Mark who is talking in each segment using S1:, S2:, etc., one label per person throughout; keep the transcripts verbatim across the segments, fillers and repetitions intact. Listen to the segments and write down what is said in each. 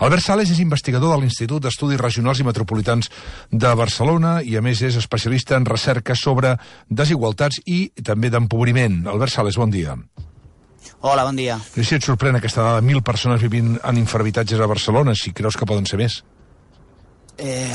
S1: Albert Sales és investigador de l'Institut d'Estudis Regionals i Metropolitans de Barcelona i, a més, és especialista en recerca sobre desigualtats i també d'empobriment. Albert Sales, bon dia.
S2: Hola, bon dia.
S1: No sé si et sorprèn aquesta dada de mil persones vivint en infrahabitatges a Barcelona, si creus que poden ser més.
S2: Eh,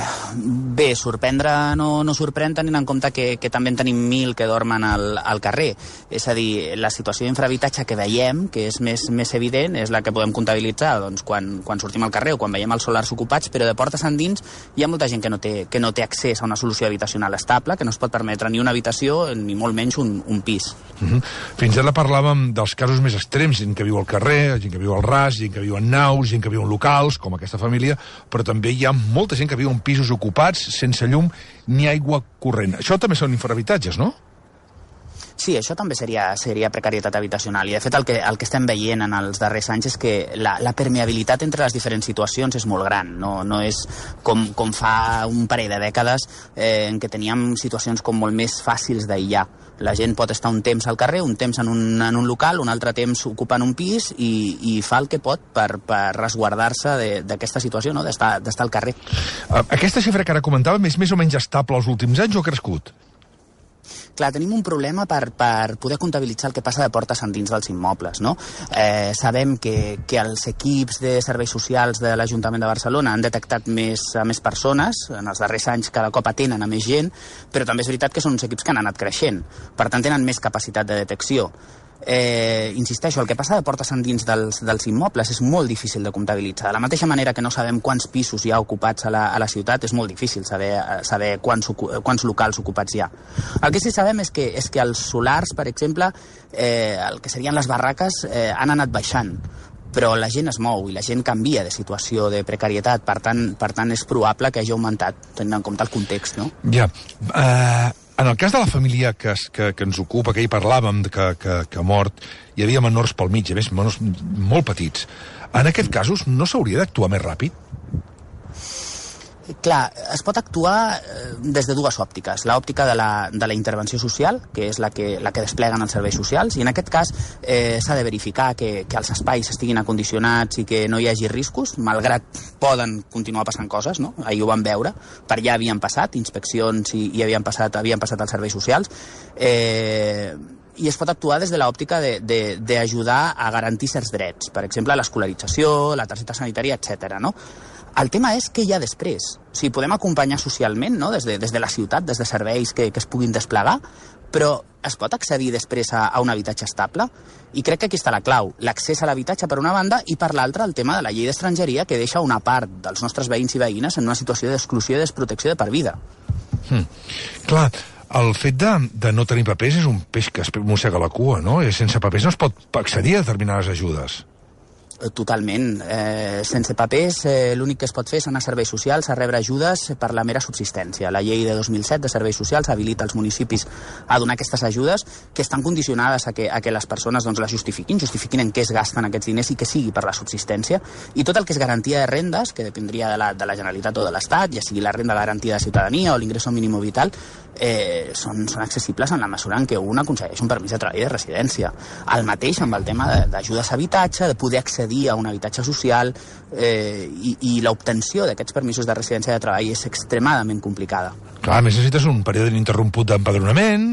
S2: bé, sorprendre no, no sorprèn tenint en compte que, que també en tenim mil que dormen al, al carrer. És a dir, la situació d'infrahabitatge que veiem, que és més, més evident, és la que podem comptabilitzar doncs, quan, quan sortim al carrer o quan veiem els solars ocupats, però de portes endins hi ha molta gent que no té, que no té accés a una solució habitacional estable, que no es pot permetre ni una habitació ni molt menys un, un pis.
S1: Uh-huh. Fins ara parlàvem dels casos més extrems, gent que viu al carrer, gent que viu al ras, gent que viu en naus, gent que viu en locals, com aquesta família, però també hi ha molta gent que viu en pisos ocupats, sense llum ni aigua corrent. Això també són infrahabitatges, no?
S2: Sí, això també seria, seria precarietat habitacional. I, de fet, el que, el que estem veient en els darrers anys és que la, la permeabilitat entre les diferents situacions és molt gran. No, no és com, com fa un parell de dècades eh, en què teníem situacions com molt més fàcils d'aïllar. La gent pot estar un temps al carrer, un temps en un, en un local, un altre temps ocupant un pis i, i fa el que pot per, per resguardar-se d'aquesta situació, no? d'estar al carrer.
S1: Aquesta xifra que ara comentàvem és més o menys estable els últims anys o ha crescut?
S2: Clar, tenim un problema per, per poder comptabilitzar el que passa de portes endins dels immobles, no? Eh, sabem que, que els equips de serveis socials de l'Ajuntament de Barcelona han detectat més, a més persones, en els darrers anys cada cop atenen a més gent, però també és veritat que són uns equips que han anat creixent, per tant tenen més capacitat de detecció. Eh, insisteixo, el que passa de portes endins dels, dels immobles és molt difícil de comptabilitzar. De la mateixa manera que no sabem quants pisos hi ha ocupats a la, a la ciutat, és molt difícil saber, saber quants, quants locals ocupats hi ha. El que sí sabem és que, és que els solars, per exemple, eh, el que serien les barraques, eh, han anat baixant, però la gent es mou i la gent canvia de situació de precarietat, per tant, per tant és probable que hagi augmentat, tenint en compte el context, no?
S1: Ja. Uh... En el cas de la família que, que, que ens ocupa, que hi parlàvem, que, que, que ha mort, hi havia menors pel mig, a més, menors molt petits. En aquests casos no s'hauria d'actuar més ràpid?
S2: Clar, es pot actuar des de dues òptiques. L'òptica de, la, de la intervenció social, que és la que, la que despleguen els serveis socials, i en aquest cas eh, s'ha de verificar que, que els espais estiguin acondicionats i que no hi hagi riscos, malgrat poden continuar passant coses, no? Ahir ho vam veure, per allà havien passat inspeccions i, i havien, passat, havien passat els serveis socials. Eh, i es pot actuar des de l'òptica d'ajudar de, de, a garantir certs drets, per exemple, l'escolarització, la targeta sanitària, etcètera, no? El tema és què hi ha després. O sigui, podem acompanyar socialment, no? des, de, des de la ciutat, des de serveis que, que es puguin desplegar, però es pot accedir després a, a un habitatge estable? I crec que aquí està la clau. L'accés a l'habitatge per una banda i per l'altra el tema de la llei d'estrangeria que deixa una part dels nostres veïns i veïnes en una situació d'exclusió i desprotecció de per vida.
S1: Hmm. Clar, el fet de, de no tenir papers és un peix que es mossega la cua, no? I sense papers no es pot accedir a determinades ajudes.
S2: Totalment. Eh, sense papers, eh, l'únic que es pot fer és anar a serveis socials a rebre ajudes per la mera subsistència. La llei de dos mil set de serveis socials habilita els municipis a donar aquestes ajudes que estan condicionades a que, a que les persones doncs, les justifiquin, justifiquin en què es gasten aquests diners i que sigui per la subsistència. I tot el que és garantia de rendes, que dependria de la, de la Generalitat o de l'Estat, ja sigui la renda garantida de ciutadania o l'ingreso mínim vital, eh, són, són accessibles en la mesura en què un aconsegueix un permís de treball i de residència. El mateix amb el tema d'ajudes a habitatge, de poder accedir a un habitatge social eh, i, i l'obtenció d'aquests permisos de residència de treball és extremadament complicada.
S1: Clar, a més necessites un període ininterromput d'empadronament,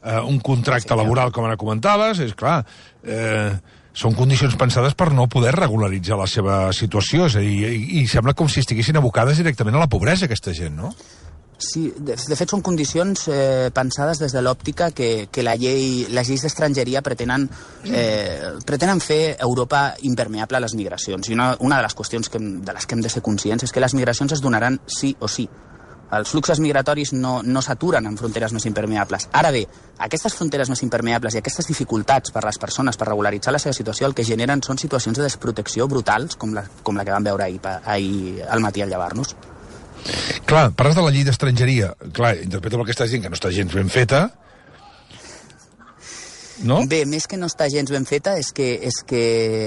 S1: eh, un contracte sí, laboral, com ara comentaves, és clar, eh, són condicions pensades per no poder regularitzar la seva situació, és a dir, i, i sembla com si estiguessin abocades directament a la pobresa aquesta gent, no?
S2: Sí, de, de fet són condicions eh, pensades des de l'òptica que, que la llei, les lleis d'estrangeria pretenen, eh, pretenen fer Europa impermeable a les migracions. I una, una de les qüestions que, de les que hem de ser conscients és que les migracions es donaran sí o sí. Els fluxos migratoris no, no s'aturen en fronteres més impermeables. Ara bé, aquestes fronteres més impermeables i aquestes dificultats per les persones per regularitzar la seva situació el que generen són situacions de desprotecció brutals com la, com la que vam veure ahir, ahir al matí al llevar-nos.
S1: Clar, parles de la llei d'estrangeria. Clar, interpreto el que estàs dient, que no està gens ben feta. No?
S2: Bé, més que no està gens ben feta és que, és que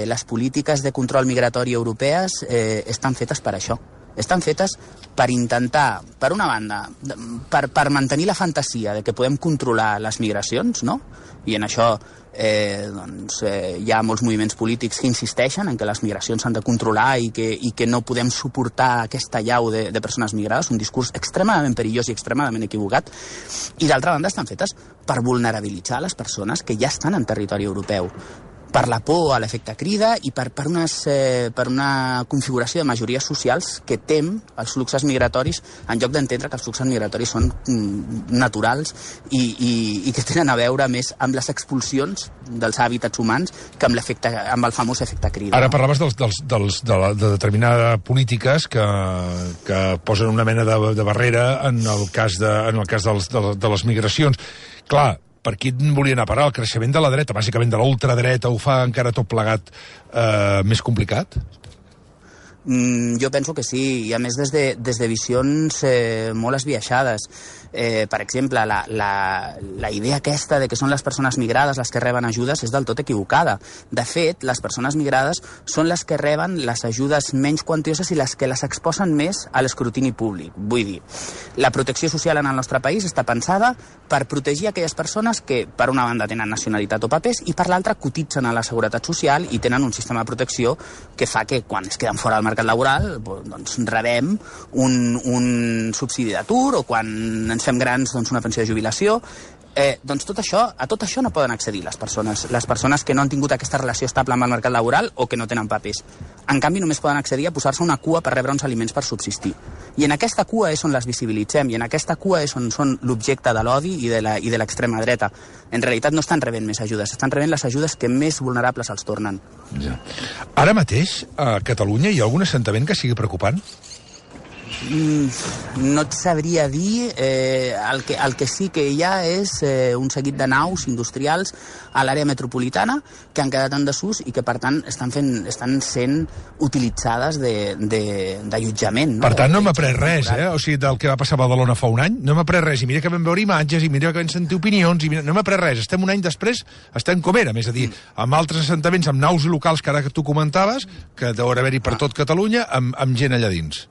S2: les polítiques de control migratori europees eh, estan fetes per això. estan fetes per intentar, per una banda, per, per mantenir la fantasia de que podem controlar les migracions, no? I en això eh, doncs, eh, hi ha molts moviments polítics que insisteixen en que les migracions s'han de controlar i que, i que no podem suportar aquesta llau de, de persones migrades, un discurs extremadament perillós i extremadament equivocat, i d'altra banda estan fetes per vulnerabilitzar les persones que ja estan en territori europeu, per la por a l'efecte crida i per, per, unes, eh, per una configuració de majories socials que tem els fluxos migratoris, en lloc d'entendre que els fluxos migratoris són mm, naturals i, i, i que tenen a veure més amb les expulsions dels hàbitats humans que amb, amb el famós efecte crida.
S1: Ara parlaves dels, dels, dels, de, la, de determinades polítiques que, que posen una mena de, de barrera en el cas de, en el cas dels, de, de les migracions. Clar, per qui volia anar a parar? El creixement de la dreta, bàsicament de la ultradreta, ho fa encara tot plegat eh, més complicat?
S2: Mm, jo penso que sí, i a més des de, des de visions eh, molt esbiaixades. Eh, per exemple, la, la, la idea aquesta de que són les persones migrades les que reben ajudes és del tot equivocada. De fet, les persones migrades són les que reben les ajudes menys quantioses i les que les exposen més a l'escrutini públic. Vull dir, la protecció social en el nostre país està pensada per protegir aquelles persones que, per una banda, tenen nacionalitat o papers i per l'altra cotitzen a la Seguretat Social i tenen un sistema de protecció que fa que quan es queden fora del mercat laboral doncs rebem un, un subsidi d'atur o quan ens fem grans, doncs una pensió de jubilació. Eh, doncs tot això, a tot això no poden accedir les persones, les persones que no han tingut aquesta relació estable amb el mercat laboral o que no tenen papers. En canvi, només poden accedir a posar-se una cua per rebre uns aliments per subsistir. I en aquesta cua és on les visibilitzem, i en aquesta cua és on són l'objecte de l'odi i de l'extrema dreta. En realitat no estan rebent més ajudes, estan rebent les ajudes que més vulnerables els tornen.
S1: Ja. Ara mateix, a Catalunya, hi ha algun assentament que sigui preocupant?
S2: Mm, no et sabria dir. Eh, el, que, el que sí que hi ha és eh, un seguit de naus industrials a l'àrea metropolitana que han quedat en desús i que, per tant, estan, fent, estan sent utilitzades d'allotjament. No?
S1: Per tant, no hem après res, eh? O sigui, del que va passar a Badalona fa un any. No hem après res. I mira que vam veure imatges, i mira que vam sentir opinions, i mira, no hem après res. Estem un any després, estem com érem. És a dir, amb altres assentaments, amb naus locals que ara que tu comentaves, que deurà haver-hi per tot Catalunya, amb, amb gent allà dins.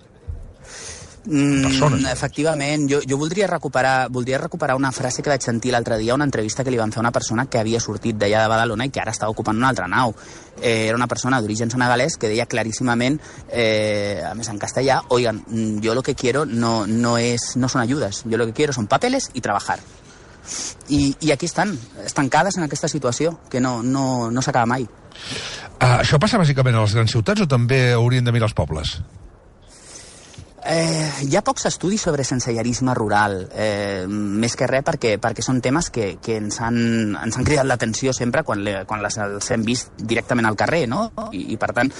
S2: Mm, efectivament, jo, jo voldria recuperar voldria recuperar una frase que vaig sentir l'altre dia, una entrevista que li van fer a una persona que havia sortit d'allà de Badalona i que ara estava ocupant una altra nau. Eh, era una persona d'origen senegalès que deia claríssimament, eh, a més en castellà, oigan, yo lo que quiero no, no, es, no son ayudas, yo lo que quiero son papeles y trabajar. I, i aquí estan, estancades en aquesta situació, que no, no, no s'acaba mai.
S1: Uh, això passa bàsicament a les grans ciutats o també haurien de mirar els pobles?
S2: Eh, hi ha pocs estudis sobre sensellarisme rural, eh, més que res perquè, perquè són temes que, que ens, han, ens han cridat l'atenció sempre quan, le, quan les, els hem vist directament al carrer, no? I, i per tant,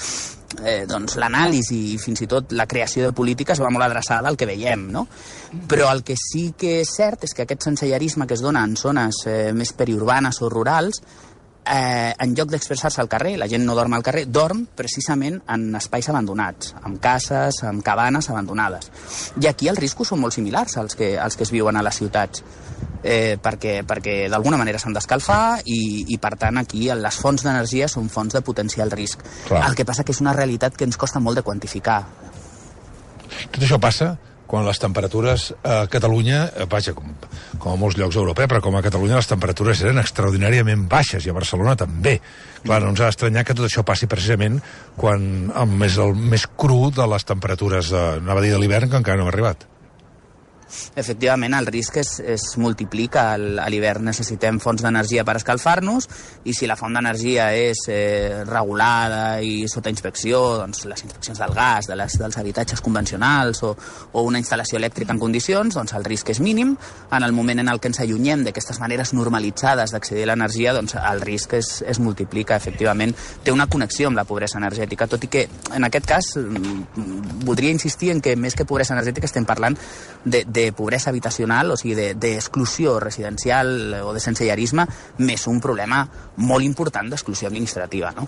S2: eh, doncs l'anàlisi i fins i tot la creació de polítiques va molt adreçada al que veiem, no? Però el que sí que és cert és que aquest sensellarisme que es dona en zones eh, més periurbanes o rurals, Eh, en lloc d'expressar-se al carrer, la gent no dorm al carrer, dorm precisament en espais abandonats, en cases, en cabanes abandonades. I aquí els riscos són molt similars als que, als que es viuen a les ciutats, eh, perquè, perquè d'alguna manera s'han d'escalfar i, i per tant aquí les fonts d'energia són fonts de potencial risc. Clar. El que passa que és una realitat que ens costa molt de quantificar.
S1: Tot això passa quan les temperatures a Catalunya, vaja, com, com a molts llocs europeus, però com a Catalunya les temperatures eren extraordinàriament baixes, i a Barcelona també. Clar, no ens ha d'estranyar que tot això passi precisament quan amb més, el més cru de les temperatures, de, anava a dir de l'hivern, que encara no ha arribat.
S2: Efectivament, el risc es, es multiplica. A l'hivern necessitem fonts d'energia per escalfar-nos i si la font d'energia és eh, regulada i sota inspecció, doncs les inspeccions del gas, de les, dels habitatges convencionals o, o una instal·lació elèctrica en condicions, doncs el risc és mínim. En el moment en el que ens allunyem d'aquestes maneres normalitzades d'accedir a l'energia, doncs el risc es, es multiplica. Efectivament, té una connexió amb la pobresa energètica, tot i que en aquest cas voldria insistir en que més que pobresa energètica estem parlant de, de pobresa habitacional, o sigui, d'exclusió de, residencial o de sensellarisme, més un problema molt important d'exclusió administrativa, no?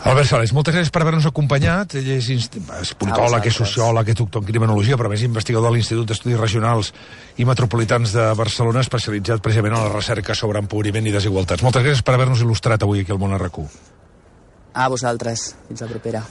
S1: Albert Sales, moltes gràcies per haver-nos acompanyat. Ell és, és politòleg, és sociòleg, és doctor en criminologia, però més investigador de l'Institut d'Estudis Regionals i Metropolitans de Barcelona, especialitzat precisament en la recerca sobre empobriment i desigualtats. Moltes gràcies per haver-nos il·lustrat avui aquí al Món R Q.
S2: A vosaltres. Fins la propera.